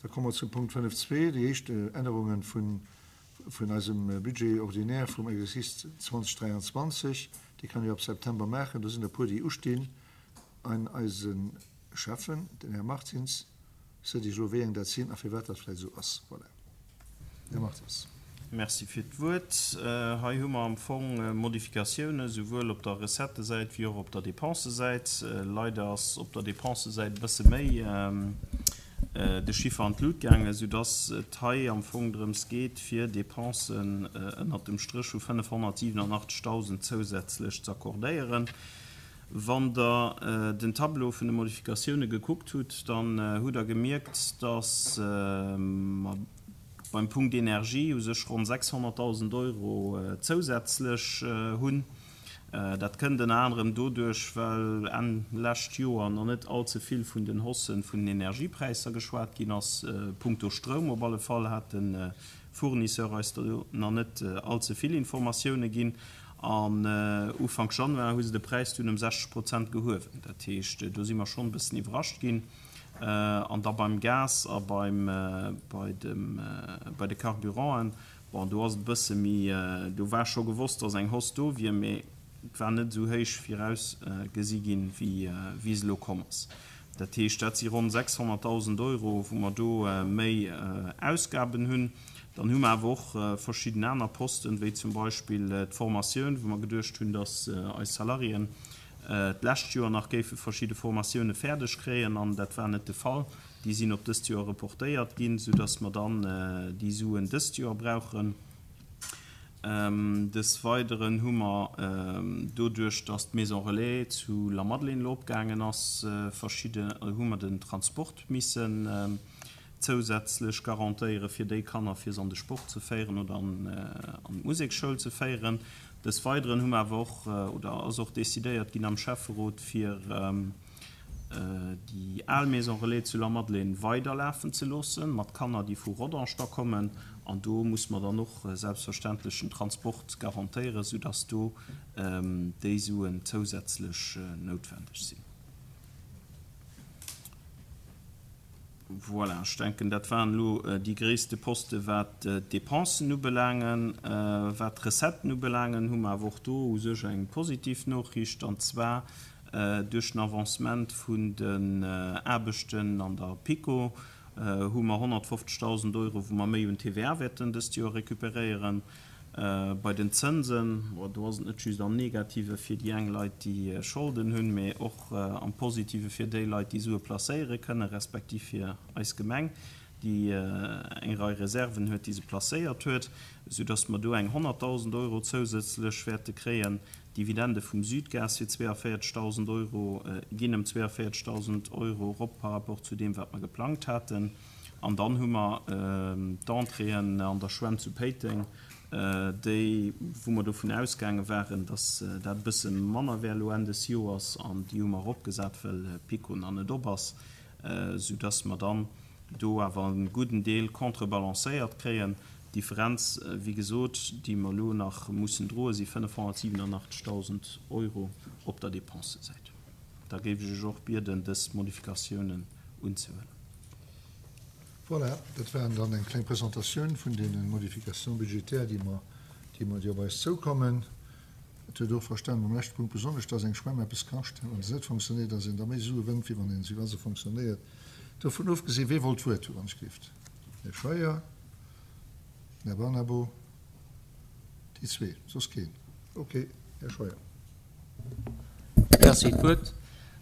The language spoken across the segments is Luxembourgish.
Da komme mer zum Punkt 5.2, déi éischt Ännerunge vun eisem Budget ordinaire vum Exercice 2023. Déi kann ee ab September maachen. Do sinn der e puer, déi ustinn. An eise Schäffen, den Här Martins, seet Iech elo, wéi eng dat sinn a firwat dat vläicht esou ass. Voilà. Här Martins. Merci fir d'Wuert. Hei hu mer am Fong Modifikatiounen, souwuel op der Recettesäit wéi och op der Dépensesäit. Leider ass op der Dépensesäit e bësse méi de Chiffer an d'Lut gaangen, soudass et hei am Fong drëms geet, fir Dépensen ënnert dem Stréch vu 587.000 zousätzlech z'accordéieren. Wann Der den Tableau vun de Modifikatioune gekuckt hutt, dann hutt Der gemierkt, dass mer beim Punkt Energie u sech ronn 600.000 Euro zousätzlech hunn. Dat kënnt ënner anerem doduerch, well Enn lescht Joer nach net all ze vill vun den Haussë vun den Energiepräisser geschwat ginn ass. Punkto Stroum op alle Fall hat de Fournisseur eis do nach net all ze vill Informatioune ginn. An Ufank Januar hu se de Präis dunn ëm 60 Prozent gehuewen. Dat heescht, do si mer schonn e bëssen iwwerrascht ginn. An da beim Gas a beim, bei dem, bei de Carburanten, bon, do ass et e bësse méi, do war scho gewosst, datt eng Hausse do wier, mee et war net esou héich virausgesi ginn, wéi, wéi se elo komm ass. Dat heescht, dat si ronn 600.000 Euro, wou mer do méi Ausgaben hunn. Dann hu mer awer och verschidden aner Posten, wéi zum Beispill d'Formatioun, wou mer geduecht hunn, datt eis Salariéen d'lescht Joer nach géife verschidde Formatioune fäerdeg kréien, an dat war net de Fall. Déi sinn op dëst Joer reportéiert ginn, soudatt mer dann déi Suen dëst Joer brauchen. Des Weideren hu mer doduerch, datt d'Maison Relais zu Lamadelaine elo opgaangen ass, verschidde, hu mer den Transport missen zousätzlech garantéiere fir déi Kanner, fir se an de Sport ze féieren oder an d'Museksschoul ze féieren. Des Weideren hu mer awer och, oder ass och decidéiert ginn am Schäfferot, fir déi al Maison Relais zu Lamadelaine weiderlafen ze loossen, mat Kanner, déi vu Rodange da kommen. An do muss mer dann och selbstverständlech den Transport garantéieren, soudass do déi Suen zousätzlech noutwendeg sinn. Voilà, ech denken, dat waren elo déi gréisste Poste wat d'Dépensen ubelaangen. Wat d'Recetten ubelaangen, hu mer awer och do u sech eng positiv Nochricht, an zwar duerch den Avancement vun den Aarbechten an der PiKo hu mer 150.000 Euro, wou mer méi un TVA wäerten dëst Joer récupéréieren. Bei den Zënsen, bon, do ass et net just am Negative fir déi eng Leit, déi Scholden hunn, mee och am Positive fir déi Leit, déi Sue placéiere kënnen, respektiv fir eis Gemeng, déi eng Rei Reserven huet, déi se placéiert huet, soudass mer do eng 100.000 Euro zousätzlech wäerte kréien. D'Dividende vum Südgas fir 42.000 Euro ginn ëm 42.000 Euro erop par rapport zu deem, wat mer geplangt haten. An dann hu mer d'Entréeën an der Schwämm zu Péiteng, déi, wou mer dovun ausgaange waren, datt dat e bësse manner wär elo Enn des Joers, an déi hu mer eropgesat, well PiKo nach net op ass, soudatt mer dann do awer e gudden Deel contrebalancéiert kréien. D'Differenz, wéi gesot, déi mer elo nach mussen droen, si 587.000 Euro op der Dépensesäit. Da géif ech Iech och bieden, dës Modifikatiounen unzehuelen. Voilà, dat waren dann eng kleng Presentatioun vun deene Modifications budgétaires, déi mer, déi mer, déi op eis zoukommen. Et huet och verstanen, beim leschte Punkt besonnesch, dass eng Schwämm eppes kascht, wann se net fonctionnéiert, dass een da méi Sue wënnt, wéi wann een se, wa se fonctionnéiert. Dovun ofgesinn, wee wollt d'Wuert hu wann ech gelift? Här Scheuer, den Här Barnabo, déi zwee, soss keen. Okay, Här Scheuer. Merci fir d'Wuert.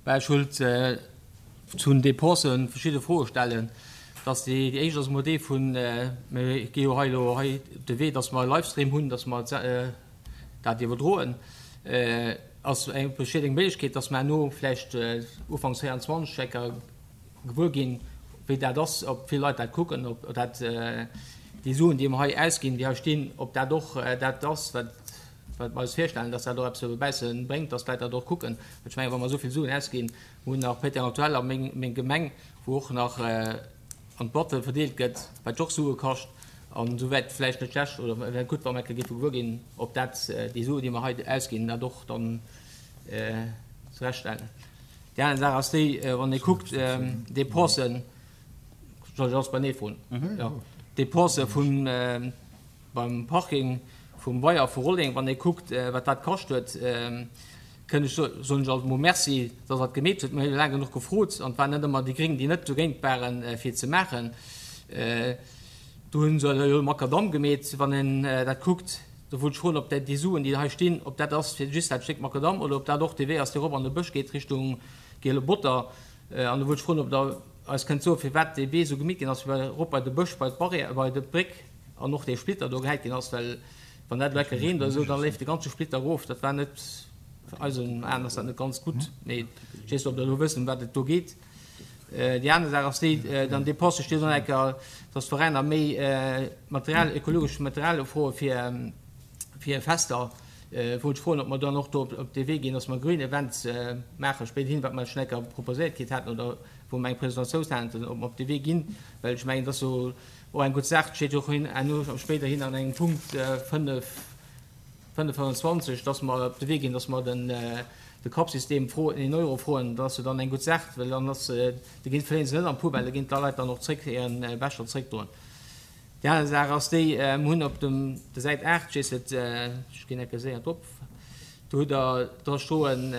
Bah, ech wollt zu den Dépensen verschidde Froe stellen. Dass déi éischt ass emol déi vun, mir gi jo hei elo hei de Wee, dass mer e Livestream hunn, dass mer dat iwwerdroen. Ass eng, besteet eng Méiglechkeet, dass mer herno vläicht ufanks 24 eng Kéier gewuer ginn, wéi dat ass, ob vill Leit dat kucken, ob dat déi Suen, déi mer hei ausginn, déi hei stinn, ob dat och dat ass, wat wat mer eis virstellen, dass dat och eppes dobausse bréngt, dass d'Leit dat och kucken. Well ech mengen, wa mer esou vill Suen ausginn, mir hunn nach Péiteng Aktuell a meng, meng Gemeng, wou och nach an d'Boîte verdeelt gëtt, wat och Sue kascht, an esou wäert vläicht net schlecht oder wär gutt, wa mer eng Kéier géife gewuer ginn, ob dat, déi Suen, déi mer hei ausginn, dat och dann zurechtstellen. Déi aner Saach ass déi, wann ee kuckt, Dépensen. Soll ech alles beinee froen? Jo. D'Depensë vun beim Parking vum Weier vu Rolleng, wann ee kuckt, wat dat kascht huet, kënn ech soen ech alt emol Merci, dass Der dat gemeet hutt. Mir hu jo laang genuch gefrot an et waren net ëmmer déi Gréng, déi net dogéint waren, fir et ze maachen. Do hu se jo Makadamm gemeet, wann een dat kuckt. Do wollt ech froen, ob déi Suen, déi hei stinn, ob dat ass fir just dat Stéck Makadamm oder ob dat och dee Wee ass, dee erop an de Bësch geet Richtung Giele Botter. An do wollt ech froen, ob Der eis kënnt soen, firwat dee Wee esou gemeet ginn ass, fir erop bei de Bësch, bei d'Barrière, bei d'Bréck an och dee Splitter do gehäit ginn ass, well wann dat elo enke reent oder esou, da leeft de ganze Splitter erof. Dat war net, eisen Aen ass dat net ganz gutt, mee ech weess net, ob Der elo wësst, ëm wat et do geet. Déi aner Saach ass déi, dann Dépense steet och enker, dass d'Veräiner méi Material, ökologescht Material ufroe fir, fir Fester. Wollt ech froen, ob mer dann och do op dee Wee ginn, dass mer Green Events maache spéiderhin, wat mer schonn enker proposéiert kritt haten oder wou mer eng Presentatioun haten, ob mer op dee Wee ginn, well ech mengen, dat ass jo och eng gutt Saach. Et steet jo och herno spéiderhin an engem Punkt 5, 5,25, dass mer op de Wee ginn, dass mer den de Cup-System froen, een Euro froen, dat ass jo dann eng gutt Saach, well dann ass, da ginn, verléiere se net an d'Poubelle, da ginn d'Leit dann och zréck hiren Becher zréckdroen. Déi aner Saach ass déi, mer hunn op dem der Säit 8, ech weess net, ech ginn enke séier drop, do hutt Der dra stoen,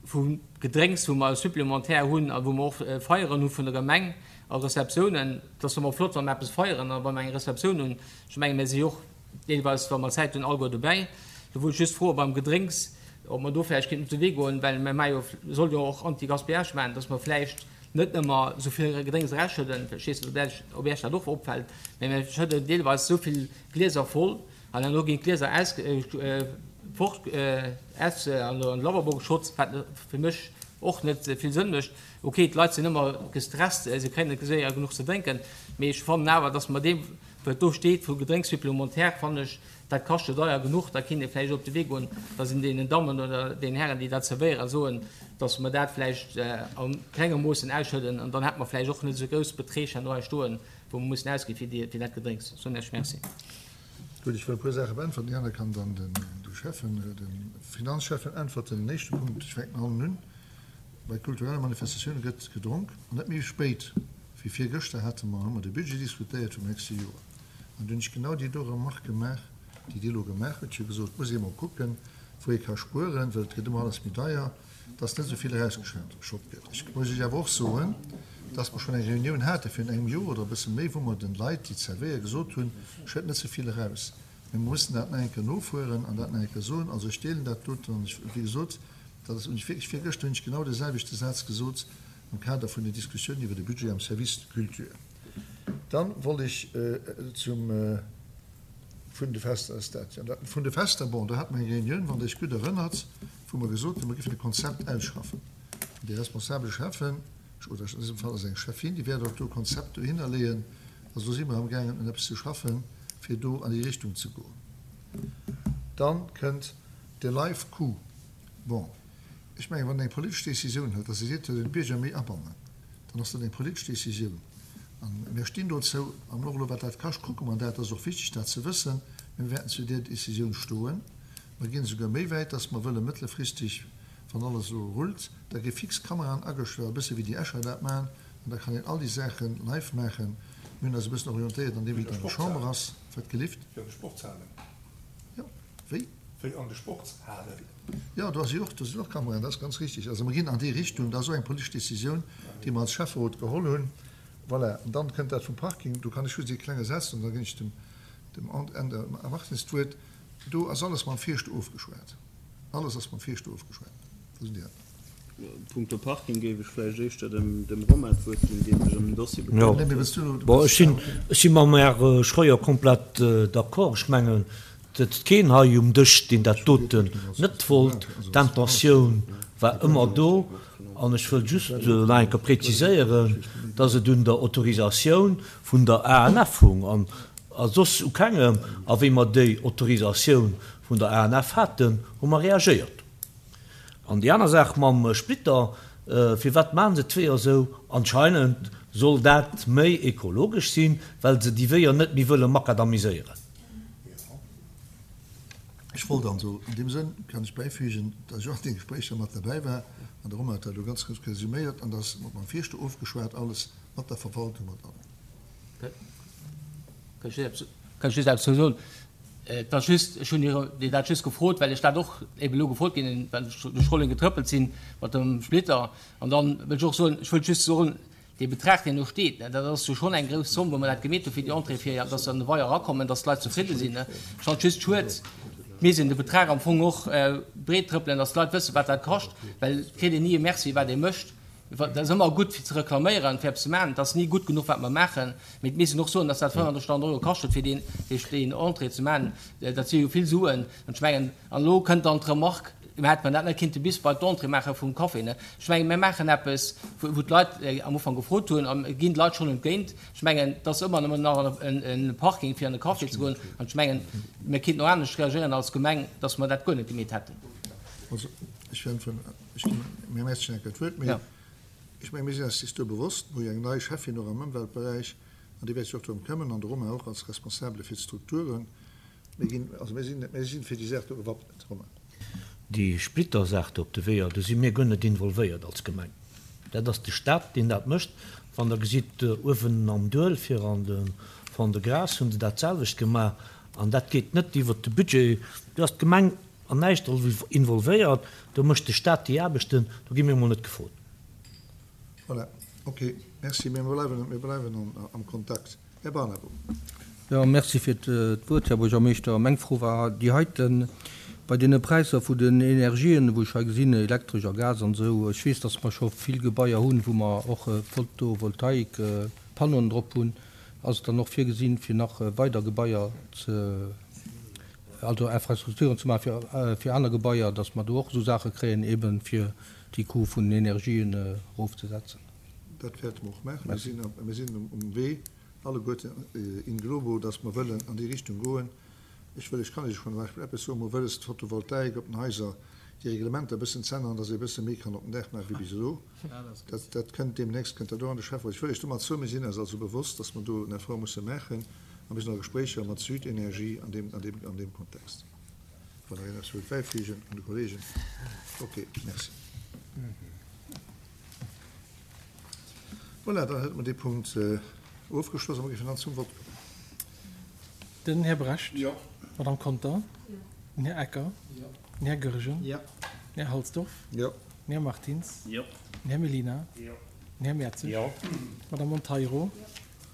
vu Gedrénks, wou mer supplémentaire hunn a wou mer och Feieren hu vun der Gemeng a Receptiounen. Et ass ëmmer flott, wa mer eppes feieren a wa mer eng Receptioun hunn. Ech menge mir si jo och deelweis, wa mer Zäit hunn, alleguer dobäi. Do wollt ech just froe beim Gedrénks, ob mer do vläicht kéinten op de Wee goen, well mer maache jo, solle jo och Anti-Gaspillage maachen, dass mer vläicht net ëmmer esou vill Gedrénks erausschëdden. Ech weess net, ob Iech dat och opfält, mä mir schëdden deelweis esou vill Glieser voll, An herno ginn d'Glieser aus, fort, aus an de Lavabo geschott, wat fir mech och net vill Sënn mécht. Ok, d'Leit sinn ëmmer gestresst, se kréien net séier genuch ze drénken, mee ech fannen awer, dass mer deem, wat do steet vu Gedrénks supplémentaire, fannen ech, dat kascht jo deier genuch, da kinnt ee vläicht op de Wee goen, dass een deenen Dammen oder deenen Hären, déi dat zerwéieren, soen, dass mer dat vläicht a klenge Moossen ausschëdden an dann hätte mer vläicht och net esou grouss Beträg herno hei stoen, wou mer mussen ausgi fir déi, fir dat Gedrénks. Soen Iech Merci. Gutt, ech wëll e puer Saache beäntwerten. Déi aner kann dann den de Schäffen, de Finanzschäffen äntwerten. Den éischte Punkt, ech fänken hannen un, Bei kulturelle Manifestatioune gëtt gedronk an net méi spéit wéi virgëschter hate mer, hu mer de Budget diskutéiert vum nächste Joer an do hunn ech genau déi do Remarque gemaach, déi Dir elo gemaach hutt. Ech hu gesot, et muss ee mol kucken, wou ee ka spueren, well et gëtt ëmmer alles méi deier. dass net esou vill erausgeschott gëtt. Ech muss Iech awer och soen, dass mer schonn eng Reunioun hate virun engem Joer oder e bësse méi, wou mer den Leit, déi zerwéieren, gesot hunn, Schëtt net ze vill eraus. Mee mer mussen dat nach eng Kéier nofueren an dat nach eng Kéier soen. Also ech deelen dat doten an ech, wéi gesot, dat ass, hunn ech wierklech virgëschter hunn ech genau dee selwechte Saz gesot am Kader vun den Diskussiounen iwwer de Budget am Service de culture. Dann wollt ech zum. Vun de Fester ass dat jo. An dat vun de Fester, bon, do hate mer eng Reunioun, wann Der Iech gutt erënnert, wou mer gesot hunn, mer géifen e Konzept ausschaffen. An déi responsabel Schäffen, oder an dësem Fall ass et eng Schäffin, déi wäert och do e Konzept dohinner leeën. Also do si mer amgaangen un eppes ze schaffen, fir do an déi Richtung ze goen. Dann kënnt de Live-Coup. Bon, ech mengen, wann een eng politesch Décisioun hëlt, dass ee seet, et soll een d'Bierger méi abannen, dann ass dat eng politesch Décisioun. A mir stinn dozou. An och elo, wat dat kascht, kucke mer dat. Dat ass och wichteg, dat ze wëssen. Mä mir wäerten zu där Décisioun stoen. Mer ginn esouguer méi wäit, dass mer wëlle mëttelfristeg, wann alles elo rullt, da gi fix Kameraen agestallt, e bësse wéi déi Escher dat maachen, an da kann een all déi Saache live maachen. Mir hunn eis e bëssen orientéiert an deem, wéi et an der Chamber ass. Wat gelift? Wéi an de Sportshalen. Jo, wéi? Wéi an de Sportshalen. Jo, do ass jo och, do sinn och Kameraen, dat ass ganz richtig. Also mer ginn an déi Richtung. Dat ass och eng politesch Décisioun, déi mer als Schäfferot geholl hunn. Voilà. An dann kënnt dat vum Parking. Do kann ech just ee klenge Saz soen, da ginn ech dem, dem Änder Martins d'Wuert. Do ass alles mam Fierschter ofgeschwat. Alles ass mam Fierschter ofgeschwat. Do sinn déi aner. Punkto Parking géif ech vläicht éischter dem Romain d'Wuert ginn, dee sech ëm den Dossier bekëmmert huet. Bon, ech sinn, ech si mam Här Schroeder komplett d'accord. Ech mengen, et sëtzt keen hei um Dësch, deen dat doten net wollt. D'Intentioun war ëmmer do. An ech wëll just nach eng Kéier präziséieren, dass et un der Autorisatioun vun der ANF hung an a soss u kengem. A wéi mer déi Autorisatioun vun der ANF haten, hu mer reagéiert. An déi aner Saach mam Splitter, firwat maachen se d'Weeër esou? Anscheinend soll dat méi ekologesch sinn, well se déi Weeër net méi wëlle makadamiséieren. Ech wollt also an deem Sënn, kann ech bäifügen, datt ech och an deene Gespréicher mat derbäi war, an de Romain huet dat elo ganz gutt resuméiert, an datt mat mam Fierschter ofgeschwat alles, mat der Verwaltung, mat allem. Kann ech just eppes soen? Et ass just, ech hunn Dir dat just gefrot, well ech dat och eben elo gefrot ginn hunn, well ech duerch Rolleng getrëppelt sinn mat dem Splitter. An dann wëll ech och soen, ech wëllt just soen, dee Betrag, deen do steet, dat ass jo schonn eng grouss Zomm, wou mer dat gemeet hu fir déi Entrée, fir datt se an de Weier erakommen, datt d'Leit zefridde sinn. Ech fannen et just schued, et misst een de Betrag am Fong och breet trëppelen, datt d'Leit wëssen, wat dat kascht, well et kritt een ni e Merci, wat ee mécht. Et ass ëmmer gutt fir ze reklaméieren, fir eppes ze maachen. Et ass ni gutt genuch, wat mer maachen. Mee et misst een och soen, datt dat 35.000 Euro kascht huet, fir deen, deen Entrée ze maachen. Dat si jo vill Suen. An ech mengen, an elo kënnt dann d'Remark, Mä hätte mer dat net kinnte bis bei d'Entrée maache vum Café? Ne? Ech mengen, mir maachen eppes, wou d'Leit am Ufank gefrot hunn, a mir ginn de Leit schonn entgéint. Ech mengen, et ass ëmmer nëmmen nach e Parking, fir an e Café ze goen. An ech mengen, mir kinnten och anescht reagéieren als Gemeng, datt mer dat guer net gemeet hätten. Also, ech äntweren, ech ginn dem Här Mertz eng Kéier d'Wuert, mee ech mengen, mir sinn eis do bewosst, mir hu jo eng nei Schäffin och am Ëmweltberäich an déi wäert sech och drëm këmmen, an de Romain och als Responsabele fir d'Strukturen. Mir ginn, also mir sinn, mir sinn fir déi Saach do gewappnet, Romain. Déi Splittersaach do op de Weeër, do si mir guer net involvéiert als Gemeng. Dat ass de Stat, deen dat mécht. Wann Der gesitt, uewen am Duel fir an de Fond-de-Gras hu se dat selwecht gemaach. An dat geet net iwwert de Budget. Do ass d'Gemeng an näischt involvéiert. Do mécht de Stat déi Aarbechten. Do gi mir emol net gefrot. Voilà, okay, merci. Mir bleiwen, mir bleiwen am Kontakt. Här Barnabo. Jo, merci fir d'Wuert, Här Buergermeeschter. Meng Fro war déi heiten, Bei deene Präisser vu den Energien, wou ech hei gesinn, Elektresch a Gas an esou, ech weess, datt mer scho vill Gebaier hunn, wou mer och Photovoltaik-Pannoen drop hunn, ass et dann och virgesinn, fir nach weider Gebaier ze, also Infrastrukturen ze maachen fir aner Gebaier, datt mer do och esou Saache kréien, eeben fir déi Coût vun den Energien erofzesetzen? Dat wäerte mer och maachen. Mir sinn, mir sinn um Wee, alleguerten in globo, dass mer wëllen an déi Richtung goen. Ech wëll, ech kann Iech schonn zum Beispill eppes soen, Mer wëlles d'Photovoltaik op den Haiser, déi Reglementer e bëssen z'änneren, dass ee e bësse méi kann op den Daach maachen wéi bis elo. Dat, dat kënnt deemnächst, kënnt dat och an de Schäfferot. Ech wëll Iech domat soen, mir sinn eis also bewosst, dass mer do en Effort musse maachen a mir sinn a Gespréicher mat Südenergie an deem, an deem, an deem Kontext. Wann nach een eppes wëllt bäifügen vun de Kollegen. Okay, merci. Voilà, dann hätte mer dee Punkt ofgeschloss a mer géifen dann zum Vott kommen. Den Här Brecht. Jo. D'Madame Conter. Jo. Den Här Ecker. Jo. Den Här Goergen. Jo. Den Här Halsdorf. Jo. Den Här Martins. Jo. Den Här Mellina. Jo. Den Här Mertzig. Jo. D'Madame Monteiro. Jo.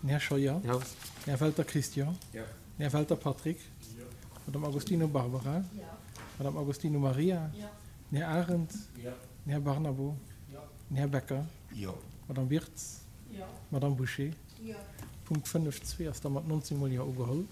Den Här Scheuer. Jo. Den Här Welter Christian. Jo. Den Här Welter Patrick. Jo. D'Madame Agostino Barbara. Jo. D'Madame Agostino Maria. Jo. Den Här Arendt. Jo. Den Här Barnabo. Jo. Den Här Becker. Jo. D'Madame Wirtz. Jo. D'Madame Bouché. Jo. Punkt 5, 2 ass da mat 19 mol Jo ugeholl.